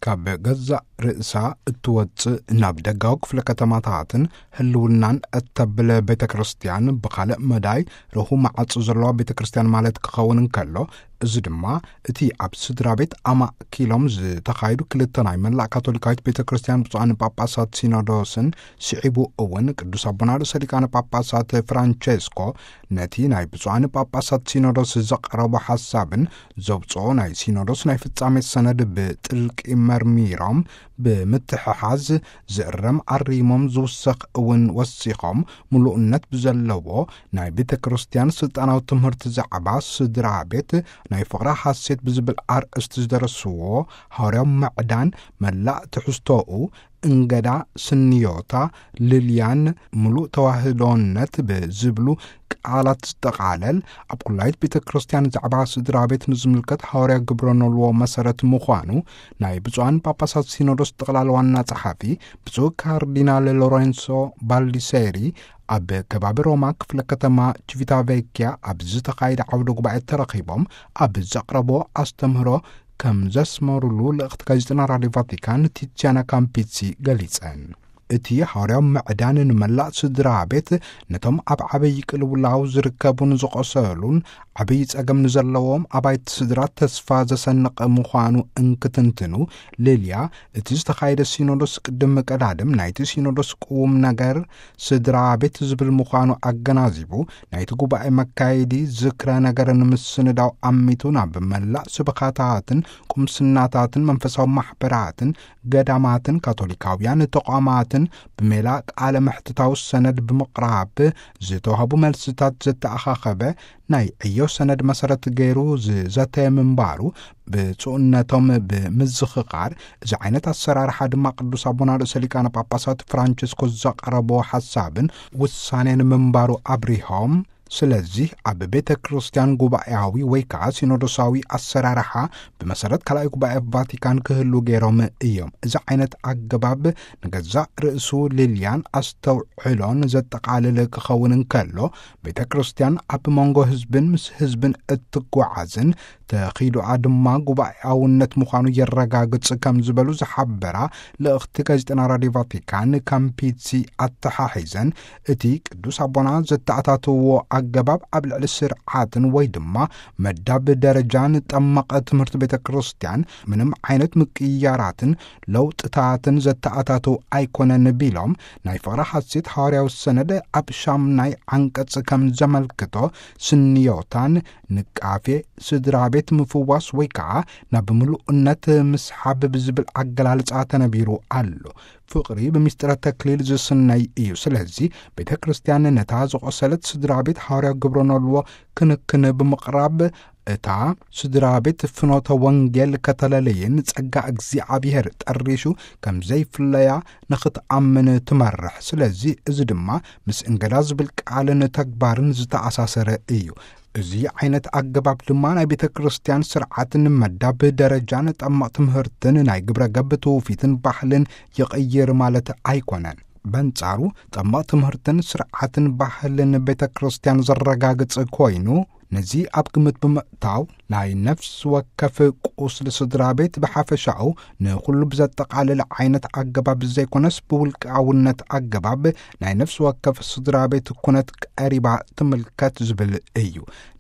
ካብ ገዛእ ርእሳ እትወጽእ ናብ ደጋዊ ክፍለ ከተማታትን ህልውናን እተብል ቤተ ክርስቲያን፣ ብኻልእ መዳይ ርሁም ማዕጾ ዘለዋ ቤተ ክርስቲያን ማለት ክኸውን እንከሎ፣ እዚ ድማ እቲ ኣብ ስድራ ቤት ኣማእኪሎም ዝተኻየዱ ክልተ ናይ መላእ ካቶሊካዊት ቤተ ክርስቲያን ብፁዓን ጳጳሳት ሲኖዶስን ስዒቡ እውን ቅዱስ ኣቦና ርእሰ ሊቃነ ጳጳሳት ፍራንቸስኮ ነቲ ናይ ብፁዓን ጳጳሳት ሲኖዶስ ዘቕረቦ ሓሳብን ዘውፅኦ ናይ ሲኖዶስ ናይ ፍጻሜ ሰነድ ብጥልቂ መርሚሮም ብምትሕሓዝ ዝእረም ኣሪሞም ዝውሰኽ እውን ወሲኾም ምሉእነት ብዘለዎ ናይ ቤተ ክርስቲያን ስልጣናዊ ትምህርቲ ዛዕባ ስድራ ቤት ናይ ፍቕራ ሓሴት ብዝብል ኣርእስቲ ዝደረስዎ ሃዋርያዊ ምዕዳን መላእ ትሕዝቶኡ እንገዳ ስንዮታ ልልያን ምሉእ ተዋህዶነት ብዝብሉ ቃላት ዝጠቓለል ኣብ ኩላይት ቤተ ክርስቲያን ዛዕባ ስድራ ቤት ንዝምልከት ሃዋርያ ግብረ ኖልዎ መሰረት ምዃኑ ናይ ብፁዓን ጳጳሳት ሲኖዶስ ጠቕላላ ዋና ጸሓፊ ብፁዕ ካርዲናል ሎሬንሶ ባልዲሴሪ ኣብ ከባቢ ሮማ ክፍለ ከተማ ቺቪታቬኪያ ኣብ ዝተኻየደ ዓውደ ጉባኤ ተረኺቦም ኣብ ዘቕረቦ ኣስተምህሮ ከም ዘስመሩሉ ልእኽቲ ጋዜጠና ራድዮ ቫቲካን ቲቲያና ካምፒሲ ገሊጸን። እቲ ሃዋርያዊ ምዕዳን ንመላእ ስድራ ቤት ነቶም ኣብ ዓብዪ ቅልውላው ዝርከቡን ዝቖሰሉን ዓብዪ ጸገም ንዘለዎም ኣባይቲ ስድራ ተስፋ ዘሰንቕ ምዃኑ እንክትንትኑ፣ ሊልያ እቲ ዝተኻየደ ሲኖዶስ ቅድም ቀዳድም ናይቲ ሲኖዶስ ቅውም ነገር ስድራ ቤት ዝብል ምዃኑ ኣገናዚቡ፣ ናይቲ ጉባኤ መካየዲ ዝክረ ነገርን ምስንዳው ኣሚቱ ናብ መላእ ስብኻታትን ቁምስናታትን መንፈሳዊ ማሕበራትን ገዳማትን ካቶሊካውያን ተቋማትን ብሜላ ቃለ መሕትታዊ ሰነድ ብምቕራብ ዝተዋህቡ መልስታት ዘተኣኻኸበ ናይ ዕዮ ሰነድ መሰረት ገይሩ ዝዘተ ምንባሩ ብፁዕነቶም ብምዝኽኻር፣ እዚ ዓይነት ኣሰራርሓ ድማ ቅዱስ ኣቦና ርእሰ ሊቃነ ጳጳሳት ፍራንቸስኮ ዘቕረቦ ሓሳብን ውሳኔን ምንባሩ ኣብሪሆም፣ ስለዚህ ኣብ ቤተ ክርስቲያን ጉባኤያዊ ወይ ከዓ ሲኖዶሳዊ ኣሰራርሓ ብመሰረት ካልኣይ ጉባኤ ቫቲካን ክህሉ ገይሮም እዮም። እዚ ዓይነት ኣገባብ ንገዛእ ርእሱ ልልያን ኣስተውዕሎን ዘጠቓልል ክኸውን እንከሎ፣ ቤተ ክርስቲያን ኣብ መንጎ ህዝብን ምስ ህዝብን እትጓዓዝን ተኺዶኣ ድማ ጉባኤያውነት ምዃኑ የረጋግጽ ከም ዝበሉ ዝሓበራ ልእኽቲ ጋዜጠና ራድዮ ቫቲካን ካምፒሲ ኣተሓሒዘን፣ እቲ ቅዱስ ኣቦና ዘተኣታትዎ ኣገባብ ኣብ ልዕሊ ስርዓትን ወይ ድማ መዳብ ደረጃን ጠመቐ ትምህርቲ ቤተ ክርስቲያን ምንም ዓይነት ምቅያራትን ለውጥታትን ዘተኣታትው ኣይኮነን ቢሎም፣ ናይ ፍቕሪ ሓሴት ሃዋርያዊ ሰነድ ኣብ ሻምናይ ዓንቀጽ ከም ዘመልክቶ ስንዮታን ንቃፌ ስድራ ቤት ምፍዋስ ወይ ከዓ ናብ ምሉእነት ምስሓብ ብዝብል ኣገላልጻ ተነቢሩ ኣሎ። ፍቕሪ ብምስጢረ ተክሊል ዝስነይ እዩ። ስለዚ ቤተ ክርስቲያን ነታ ዝቖሰለት ስድራ ቤት ሃዋርያ ግብረ ኖልዎ ክንክን ብምቕራብ እታ ስድራ ቤት ፍኖተ ወንጌል ከተለለየን ጸጋ እግዚኣብሔር ጠሪሹ ከም ዘይፍለያ ንኽትኣምን ትመርሕ። ስለዚ እዚ ድማ ምስ እንገዳ ዝብል ቃልን ተግባርን ዝተኣሳሰረ እዩ። እዚ ዓይነት ኣገባብ ድማ ናይ ቤተ ክርስቲያን ስርዓትን መዳብ ደረጃን ጠመቕ ትምህርትን ናይ ግብረ ገብ ትውፊትን ባህልን ይቕይር ማለት ኣይኮነን። በንጻሩ ጠመቕ ትምህርትን ስርዓትን ባህልን ቤተ ክርስቲያን ዘረጋግጽ ኮይኑ፣ ነዚ ኣብ ግምት ብምእታው ናይ ነፍሲ ወከፍ ቁስሊ ስድራ ቤት ብሓፈሻኡ ንኹሉ ብዘጠቓልል ዓይነት ኣገባብ ዘይኮነስ ብውልቃውነት ኣገባብ ናይ ነፍሲ ወከፍ ስድራ ቤት ኩነት ቀሪባ ትምልከት ዝብል እዩ።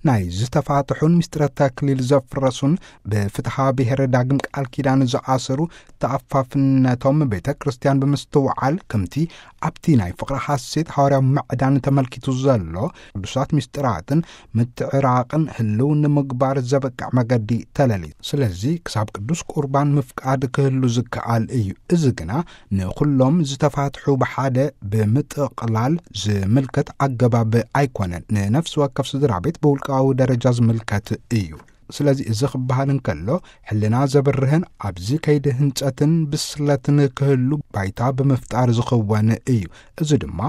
ናይ ዝተፋትሑን ምስጢረ ተክሊል ዘፍረሱን ብፍትሓ ብሔር ዳግም ቃል ኪዳን ዝኣሰሩ ተኣፋፍነቶም ቤተ ክርስቲያን ብምስትውዓል ከምቲ ኣብቲ ናይ ፍቕሪ ሓሴት ሃዋርያዊ ምዕዳን ተመልኪቱ ዘሎ ቅዱሳት ምስጢራትን ምትዕራቕን ህልው ንምግባር ዘበቅዕ መገዲ ተለልዩ። ስለዚ ክሳብ ቅዱስ ቁርባን ምፍቃድ ክህሉ ዝከኣል እዩ። እዚ ግና ንኹሎም ዝተፋትሑ ብሓደ ብምጥቕላል ዝምልከት ኣገባብ ኣይኮነን። ንነፍሲ ወከፍ ስድራ ቤት ብውልቃዊ ደረጃ ዝምልከት እዩ። ስለዚ እዚ ክበሃል እንከሎ ሕልና ዘብርህን ኣብዚ ከይዲ ህንጸትን ብስለትን ክህሉ ባይታ ብምፍጣር ዝኽወን እዩ። እዚ ድማ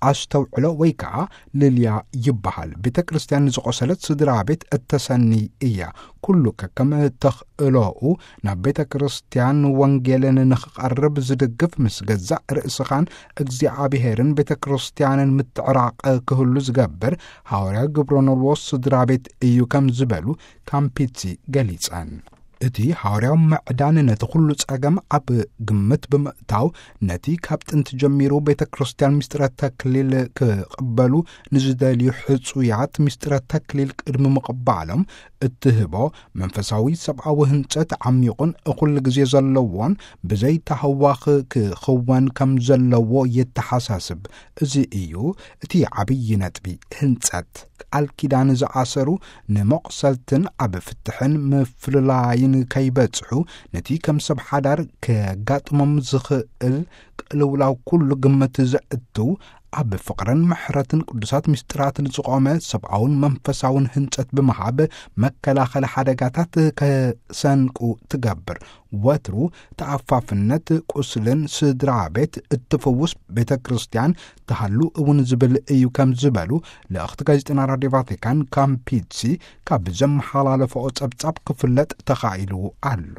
ኣስተውዕሎ ወይ ከዓ ልልያ ይበሃል። ቤተ ክርስቲያን ንዝቆሰለት ስድራ ቤት እተሰኒ እያ። ኩሉ ከከም ተኽእሎኡ ናብ ቤተ ክርስቲያን ወንጌልን ንኽቐርብ ዝድግፍ ምስ ገዛእ ርእስኻን እግዚኣብሔርን ቤተ ክርስቲያንን ምትዕራቕ ክህሉ ዝገብር ሃዋርያ ግብረ ኖልዎ ስድራ ቤት እዩ ከም ዝበሉ ካምፒቲ ገሊጸን። እቲ ሓዋርያዊ ምዕዳን ነቲ ኩሉ ጸገም ኣብ ግምት ብምእታው፣ ነቲ ካብ ጥንቲ ጀሚሩ ቤተ ክርስቲያን ምስጢረ ተክሊል ክቕበሉ ንዝደልዩ ሕጹያት ምስጢረ ተክሊል ቅድሚ ምቕባሎም እትህቦ መንፈሳዊ ሰብኣዊ ህንጸት ዓሚቑን እኹል ግዜ ዘለዎን ብዘይተሃዋኽ ክኽወን ከም ዘለዎ የተሓሳስብ። እዚ እዩ እቲ ዓብዪ ነጥቢ። ህንጸት ቃል ኪዳን ዝኣሰሩ፣ ንመቑሰልትን ኣብ ፍትሕን ምፍልላይን ከይበጽሑ፣ ነቲ ከም ሰብ ሓዳር ከጋጥሞም ዝኽእል ቅልውላው ኩሉ ግምት ዘእቱ፣ ኣብ ፍቕርን ምሕረትን ቅዱሳት ምስጢራትን ዝቖመ ሰብኣውን መንፈሳውን ህንጸት ብምሃብ፣ መከላኸሊ ሓደጋታት ከሰንቁ ትገብር። ወትሩ ተኣፋፍነት ቁስልን ስድራ ቤት እትፍውስ ቤተ ክርስቲያን ትሃሉ እውን ዝብል እዩ ከም ዝበሉ ልእኽቲ ጋዜጠና ራድዮ ቫቲካን ካምፒትሲ ካብ ዘመሓላለፈኦ ጸብጻብ ክፍለጥ ተኻኢሉ ኣሎ።